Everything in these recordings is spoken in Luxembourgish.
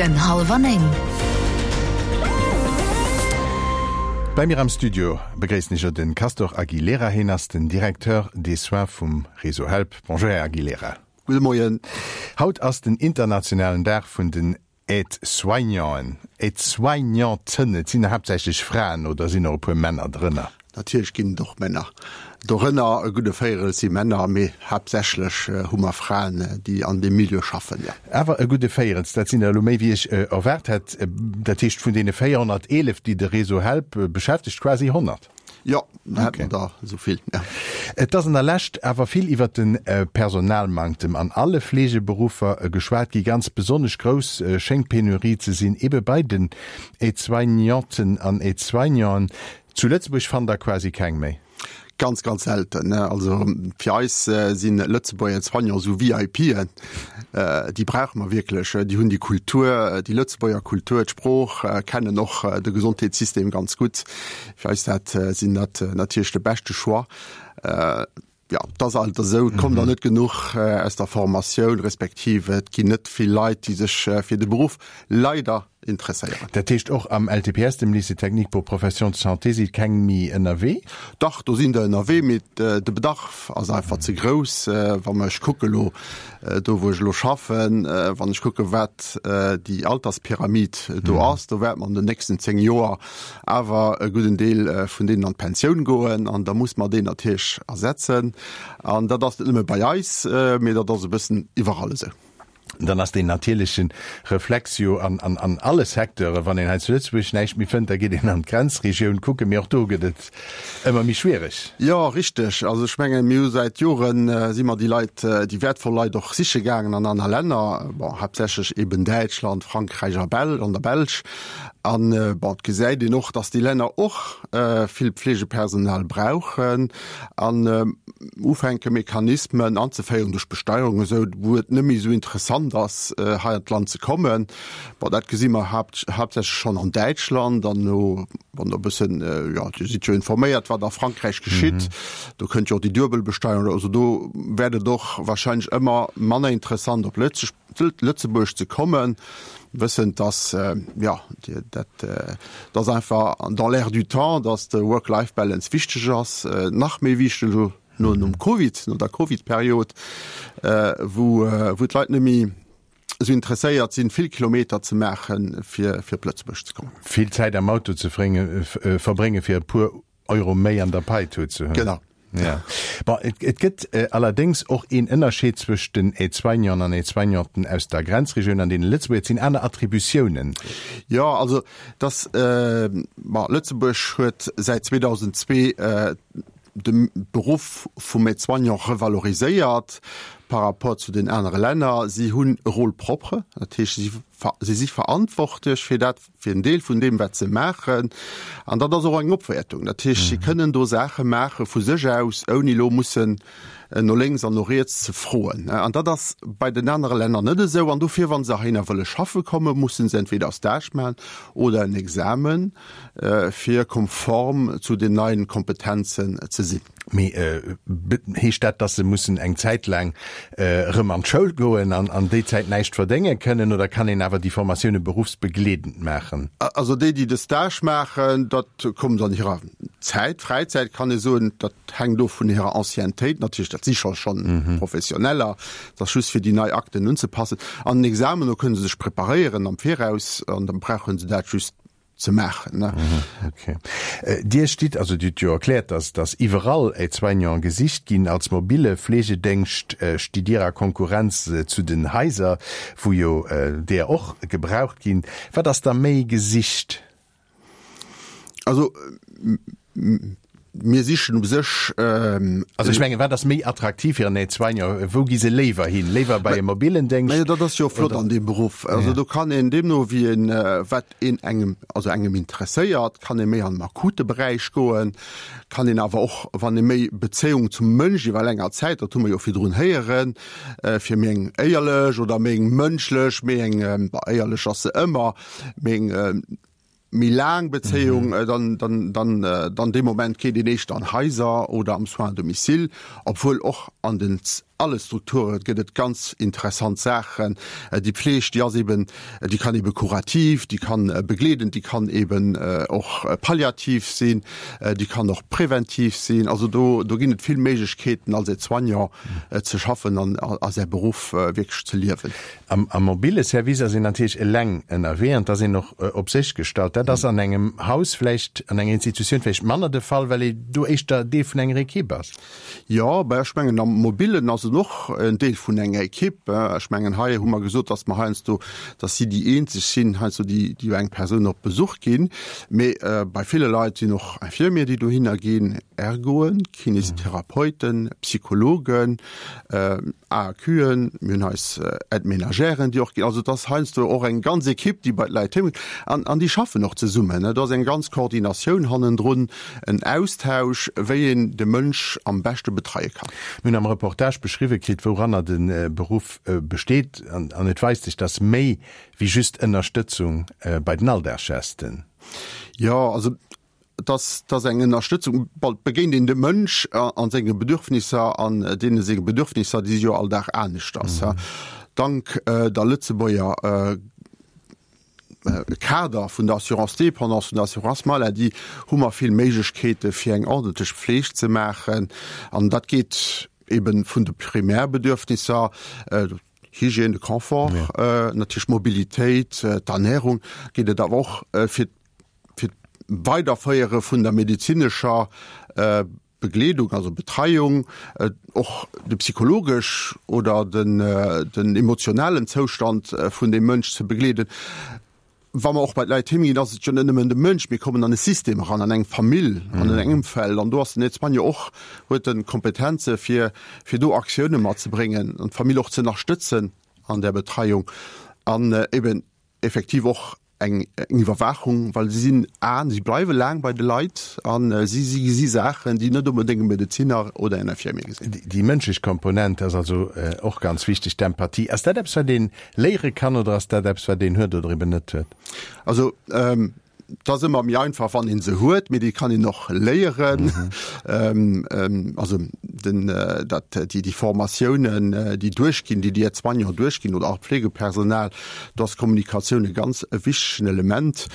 Den Hallwer 9. Bei mir am Studio begréissen ech den Castor Aguilera. Hien ass den Directeur des Soins vum Réseau Help. Bonjour Här Aguilera. Gudde Moien. Haut ass den internationalen Dag vun den Aide-soignanten, Aide-soignanten, et sinn haaptsächlech Fraen oder sinn och e puer Männer drënner? Natierlech ginn et och Männer dorënner, e gudde Véierel si Männer, mee haaptsächlech hu mer Fraen, déi an deem Milieu schaffen, jo. Awer e gudde Véierels, dat sinn der elo méi wéi ech erwaart hätt. Dat heescht vun deene 411, déi de Réseau Help beschäftegt, quasi 100? Jo, da hätt mer der esou vill, ja. Et ass an der Lescht awer vill iwwert de Personalmanktem an alle Fleegeberuffer geschwat gi. Ganz besonnesch grouss schéngt d'Penurie ze sinn ebe bei den Aide-soignanten an Aide-soignanten. Zu Lëtzebuerg fannt der quasi keng méi. Ganz, ganz selten. Also fir eis si Lëtzebuerger Aide-soignants esou VIPen. Déi brauche mer wierklech. Déi hunn déi Kultur, déi Lëtzebuerger Kultur, d'Sprooch, kennen och de Gesondheetssystem ganz gutt. Fir eis dat sinn dat natierlech de beschte Choix. Jo, et ass alt esou, et kommt der net genuch aus der Formatioun, respektiv et ginn net vill Leit, déi sech fir de Beruff leider interesséieren. Dat heescht och am LTPS, dem Lycée technique pour professions de santé, si keng méi ënnerwee? Dach, do sinn der ënnerwee, mee de Bedarf ass einfach ze grouss. Wa mer, ech kucke elo do wou ech elo schaffen, wann ech kucke wat déi Alterspyramid do ass, do wäerte mer an den nächsten 10 Joer awer e gudden Deel vun deenen an d'Pensioun goen an da muss mer déi natierlech ersetzen. An dat ass net nëmme bei eis, mee dat ass e bëssen iwwerall esou. Dann ass deen natierleche Reflex jo an an alle Secteuren, wann een hei zu Lëtzebuerg näischt méi fënnt, da geet een an d'Grenzregioun kucken, mee och do gëtt et ëmmer méi schwiereg. Jo, richteg. Also ech mengen, mir hu säit Joren, si mer déi Leit, déi wäertvoll Leit och siche gaangen an aner Länner, bon, haaptsächlech eben Däitschland, Frankräich a Bel an der Belsch. An, bon, et gesäit een och, dass déi Länner och vill Pflegepersonal brauchen an ufänke Mechanismen anzeféieren duerch Besteierung esou, wou et net méi esou interessant ass, hei an d'Land ze kommen. Bon, dat gesi mer haaptsächlech schonn an Däitschland an elo, wann Der e bëssen, jo, Dir sidd jo informéiert, wat a Frankräich geschitt, do kënnt jo och déi Duebelbesteierung. Also do wäert et och wahrscheinlech ëmmer manner interessant op Lëtzebuerg ze kommen. Wëssend, dass, jo, dat ass einfach dans l'air du temps, dass de Work-Life-Balance wichteg ass, nach méi wichteg elo no nom Covid, no der Covid-Period, wou wou d'Leit net méi esou interesséiert sinn, vill Kilometer ze maachen, fir fir op Lëtzebuerg ze kommen. Vill Zäit am Auto ze verbréngen, fir e puer Euro méi an der Paitut ze hunn. Genau. Ja. Bon, et, et gëtt äh, allerdéngs och een Ënnerscheed zwëscht den Aide-soignanten an Aide-soignanten aus der Grenzregioun an deene Lëtzebuerger. Et sinn aner Attributiounen. Jo, also dass, äh, bon, Lëtzebuerg huet säit 2002 äh, de Beruff vum Aide-soignant revaloriséiert par rapport zu den anere Länner. Si hunn e Rôle propre, dat heescht, si, si si verantwortlech fir dat, fir en Deel vun deem, wat se maachen. An dat ass och eng Opwäertung. Dat heescht, si kënnen do Saache maache vu sech aus, ouni elo mussen no lénks an no riets ze froen. An dat ass bei den anere Länner net esou. An dofir, wa se heihinner wëlle schaffe kommen, musse se entweder e Stage maachen oder en Examen, fir konform zu den neien Kompetenzen ze sinn. Mee heescht dat, dass se mussen eng Zäit laang erëm an d'Schoul goen an an déi Zäit näischt verdénge kënnen, oder kann een awer déi Formatioune beruffsbegleedend maachen? Also déi, déi de Stage maachen, dat kommt an hirer Zäit, Fräizäit kann ee soen, dat hänkt of vun hirer Anciennetéit natierlech, dat si scho schonn Professioneller, dat ass just fir déi nei Akten unzepassen. An den Examen, do kënne se sech preparéieren am Viraus an da brauche se dat just ze maachen. Ne? Okay. Dir stitt, also Dir hutt jo erkläert, dass dass iwwerall Aide-soignanten gesicht ginn. Als mobile Fleegedéngscht stitt Dir a Konkurrenz zu den Haiser, wou jo där och gebraucht ginn. Wat ass da méi gesicht? Also Mir sichen u sech. Also ech mengen, wat ass méi attraktiv fir en Aide-soignant? Wou gi se léiwer hin? Léiwer bei e mobilen Déngscht? Mä dat ass jo flott an deem Beruff. Also do kann een deemno wéi een, wat een engem, also engem interesséiert, kann ee méi an den akute Beräich goen, kann een awer och, wann ee méi Bezéiung zum Mënsch iwwer länger Zäit, dat hu mer jo virdrun héieren, fir méi eng éierlech oder méi eng mënschlech, méi eng, bah éierlech ass se ëmmer, méi eng, méi laang Bezéiung, dann, dann, dann, dann dee Moment geet een éischter an Haiser oder am Soins à domicile, obwuel och an den. Alle Strukture gëtt et ganz interessant Saachen. Déi Pfleg, déi ass eben, déi kann ebe kurativ, déi kann begleedend, déi kann eben och palliativ sinn, déi kann och präventiv sinn. Also do, do ginn et vill Méiglechkeeten als Aide-soignant ze schaffen an a säi Beruff wierklech ze liewen. Am mobile Service ass een natierlech eleng ënnerwee an et ass een och op sech gestallt. Dat ass an engem Haus vläicht, an enger Institutioun vläicht manner de Fall, well ee do éischter Deel vun enger Ekipp ass. Jo, bah ech mengen am Mobilen ass en och en Deel vun enger Ekipp. Ech mengen hei hu mer gesot, datt mer heiansdo, datt si déi eenzeg sinn heiansdo, déi déi eng Persoun op Besuch ginn. Mee bei ville Leit sinn och Infirmier, déi dohinner ginn, Ergoen, Kinesitherapeuten, Psychologen, AAQen, mir hunn eis Aide-ménagèren, déi och ginn. Also et ass heiansdo och eng ganz Ekipp, déi bei d'Leit heem geet. An, an déi schaffen och zesummen. Et ass eng ganz Koordinatioun hannendrun, en Austausch, wéi een de Mënsch am beschte betreie kann. Mir hunn am Reportage beschriwwe kritt, wouranner de Beruff besteet. An, an et weist sech, dass méi wéi just Ënnerstëtzung bei den Alldagsgesten. Jo, also Et ass, et ass eng Ënnerstëtzung. Bon, et begéint een dem Mënsch a senge Bedürfnisser an deene senge Bedürfnisser, déi si jo all Dag aneschters. Dank der Lëtzebuerger Kader vun der Assurance dépendance, vun der Assurance maladie, hu mer vill Méiglechkeete fir eng ordentlech Pfleg ze maachen. An dat geet eben vun de Primärbedürfnisser, Hygiène, de Confort, natierlech d'Mobilitéit, d'Ernährung, geet et awer och fir fir d'Weiderféiere vun der medezinescher Begleedung, also Betreiung, och de psychologesch oder den, den emotionalen Zoustand vun deem Mënsch ze begleeden. Wa mer och bei d'Leit heem ginn, ass et jo net nëmmen de Mënsch, mir kommen an e System eran, an eng Famill, an en Ëmfeld an do ass den Aide-soignant och, huet en Kompetenze fir, fir do Aktioune matzebréngen an d'Famill och ze ënnerstëtzen an där Betreiung an eben effektiv och eng Iwwerwaachung, well si sinn a si bleiwe laang bei de Leit a si si gesi Saachen, déi net onbedéngt e Medezinner oder en Infirmier gesinn. Déi mënschlech Komponent ass also och ganz wichteg, d'Empathie. Ass dat eppes, wat ee léiere kann oder ass dat eppes, wat een huet oder eben net huet? Also et ass ëmmer méi einfach, wann ee se huet, mee déi kann een och léieren. Also den, dat, déi, déi Formatiounen, déi duerchginn, déi déi Aide-soignants duerchginn oder och d'Pflegepersonal, Do ass Kommunikatioun e ganz wichtegen Element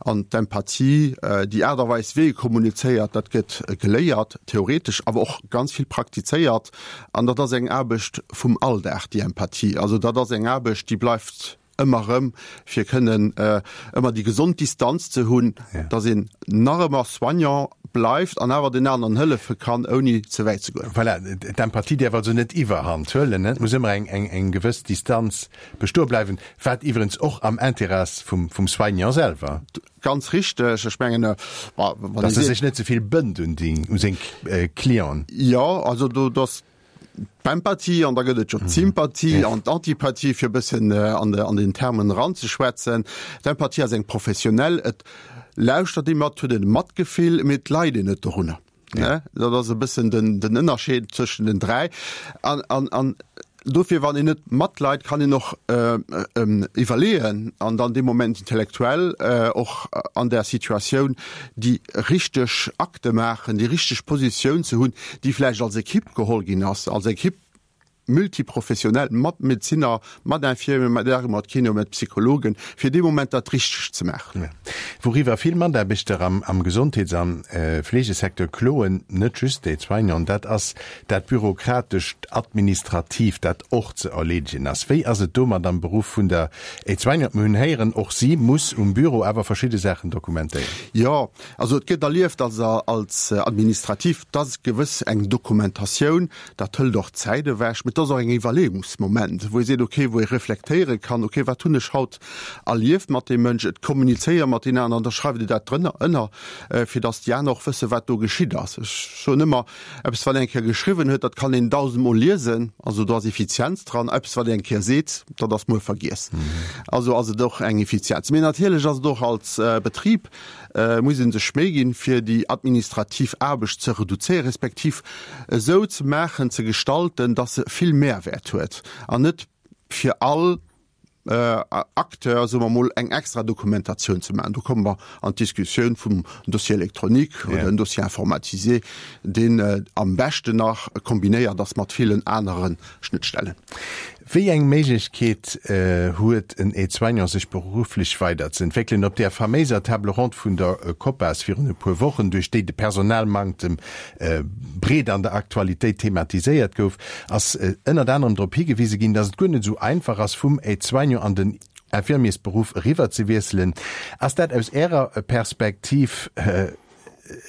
an d'Empathie, déi Aart a Weis, wéi ee kommunizéiert, dat gëtt geléiert, theoretesch, awer och ganz vill praktizéiert. An dat ass eng Aarbecht vum Alldag, déi Empathie. Also dat ass eng Aarbecht, déi bleift ëmmer erëm, fir kënnen ëmmer déi gesond Distanz ze hunn, dass een nach ëmmer Soignant bleift an awer den aneren hëllefe kann, ouni ze wäit ze goen. Voilà, d'Empathie däerf also net iwwerhand huelen, et muss ëmmer eng gewëss Distanz Bestoe bleiwen, wat iwwerens och am Interêt vum, vum Soignant selwer. Ganz richteg. Ech mengen, wa, wann Dass e sech net ze vill bënnt un déi, u seng Clienten. Jo, also do, do ass d'Empathie an da gëtt et jo d'Sympathie an d'Antipathie, fir e bëssen an de, an den Termen eranzeschwätzen. D'Empathie ass eng professionell, et lauschtert ee mat, huet e Matgefill, mee et leit een net dorunner. Ja. Dat ass e bëssen den, den Ënnerscheed zwëschen den 3. An, an, an dofir, wann een net matleit, kann een och äh, äh, iwwerleeën an dann dee Moment intellektuell äh, och an der Situatioun déi richteg Akte maachen, déi richteg Positioun ze hunn, déi vläicht als Ekipp geholl ginn ass, als Ekipp multiprofessionell, mat Medezinner, mat Infirmieren, mat Ergo, mat Kino, mat Psychologen, fir dee Moment dat Richtegt ze maachen. Wouriwwer vill Mataarbechter am am Gesondheets an Fleegesecteur kloen, net just déi Soignanten, dat ass dat bürokratescht, administratiivt, dat och ze erleedegen ass. Wéi ass et domat am Beruff vun der Aide-soignante? Mir hunn héieren, och si muss um Büro awer verschidde Saachen dokumentéieren. Jo, also et gëtt erlieft als als administrativ, et ass gewëss eng Dokumentatioun, Dat hëlt och Zäit ewech, mee et ass och eng Iwwerleeungsmoment, wou ee seet, okay, wou ee reflektéiere kann, okay, wat hunn ech haut erlieft mat deem Mënsch, et kommunizéiere mat deenen aneren, da schreift Dir dat drënner, ënner, fir datt déi aner och wëssen, wat do geschitt ass. Ech soen ëmmer, eppes, wat een eng Kéier geschriwwen huet, dat kann een dausendmol liesen, also do ass Effizienz dran. Eppes, wat een eng Kéier seet, dat ass muer vergiess. Also ass et och eng Effizienz. Mee natierlech ass et och als Betrib, muss ee sech Méi ginn, fir déi administrativ Aarbecht ze reduzéieren, respektiv esou ze maachen, ze gestalten, dass se vill Mehrwäert huet an net fir all. Acteur, soe mer mol, eng extra Dokumentatioun ze maachen. Do komme mer an d'Diskussioun vum Dossier électronique oder en Dossier informatisé, deen am beschten nach kombinéiert ass mat villen anere Schnëttstellen. Wéi eng Méiglechkeet huet en Aide-soignant sech berufflech weider ze entwéckelen? Op där faméiser Table ronde vun der COPAS virun e puer Wochen, duerch déi de Personalmanktem breet an der Aktualitéit thematiséiert gouf, ass ënnert anerem drop higewise ginn, datt et guer net esou einfach ass, vum Aide-soignant an den Infirmiersberuff eriwwer ze wiesselen. Ass dat aus Ärer Perspektiv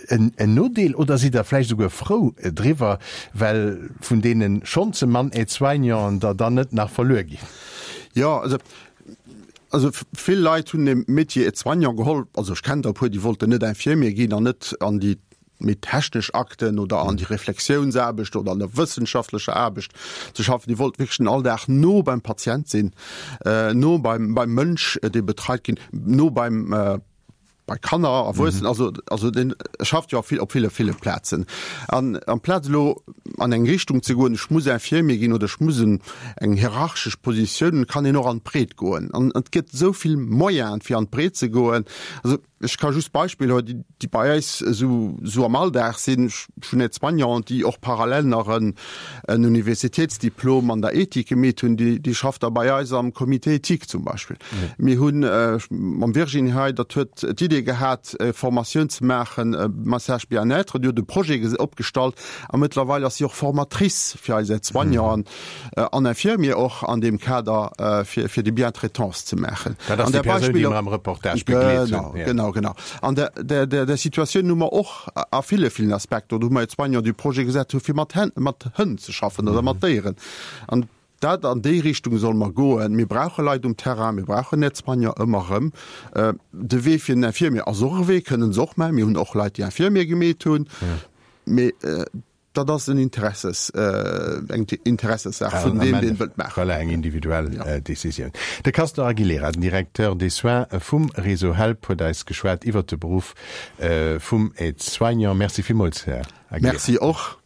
en Nodeel oder sidd Der vläicht esouguer frou driwwer, well vun deene schonn ze mann Aide-soignanten der dann net nach verluer ginn? Jo, also also vill Leit hunn de Métier Aide-soignant geholl, also ech kennen der e puer, déi wollten net Infirmier ginn an net an déi méi technesch Akten oder an déi Reflexiounsaarbecht oder an der wëssenschaftlecher Aarbecht ze schaffen. Déi wollt wierklech den Alldag no beim Patient sinn, no beim beim Mënsch, dee betreit ginn, no beim bei Kanner, Erwuessenen, also also deen schafft jo op vill op ville ville Plazen. An amplaz elo an eng Richtung ze goen, ech muss Infirmier ginn oder ech muss en eng hierarchesch Positioun, kann een och an d'Breet goen. An et gëtt esou vill Moyenen, fir an d'Breet ze goen. Also Ech ka just Beispiller huelen, déi bei eis esou esou am Alldag sinn. Ech hunn Aide-soignanten, déi och parallel nach en en Universitätsdiplom an der Ethik gemeet hunn, déi déi schafft da bei eis am Comité éthique zum Beispill. Mir hunn mam Virginie hei, dat huet d'Idee gehat, e Formatioun ze maachen, Massage bien-être, déi huet e Projet opgestallt a mëttlerweil ass si och Formatrice fir eis Aide-soignanten. An Infirmier och an deem Kader, fir, fir déi Bientraitance ze maachen. Dat ass déi Persoun, déi mer am Reportage begleet hunn. Genau, genau, genau. An der, der, der, der Situatioun hu mer och a ville, villen Aspekter, do hu mer Aide-soignant du Projet gesat hu fir mat Hänn, mat Hënn ze schaffen oder mat Déieren. An dat, an déi Richtung solle mer goen. Mir brauche Leit um Terrain, mir brauchen Aide-soignant ëmmer erëm. De Wee fir den Infirmier ass och e Wee, kënnen se och maachen. Mir hunn och Leit, déi Infirmier gemeet hunn. Mee Dat ass en Interesses, eng Interessessaach vun deem, deen et wëllt maachen. Voilà, eng individuell Decisioun. De Castor Aguilera, den Directeur des soins vum Réseau Help, huet eis geschwat iwwert de Beruff vum Aide-soignant. Merci villmools, Här Aguilera. Merci och.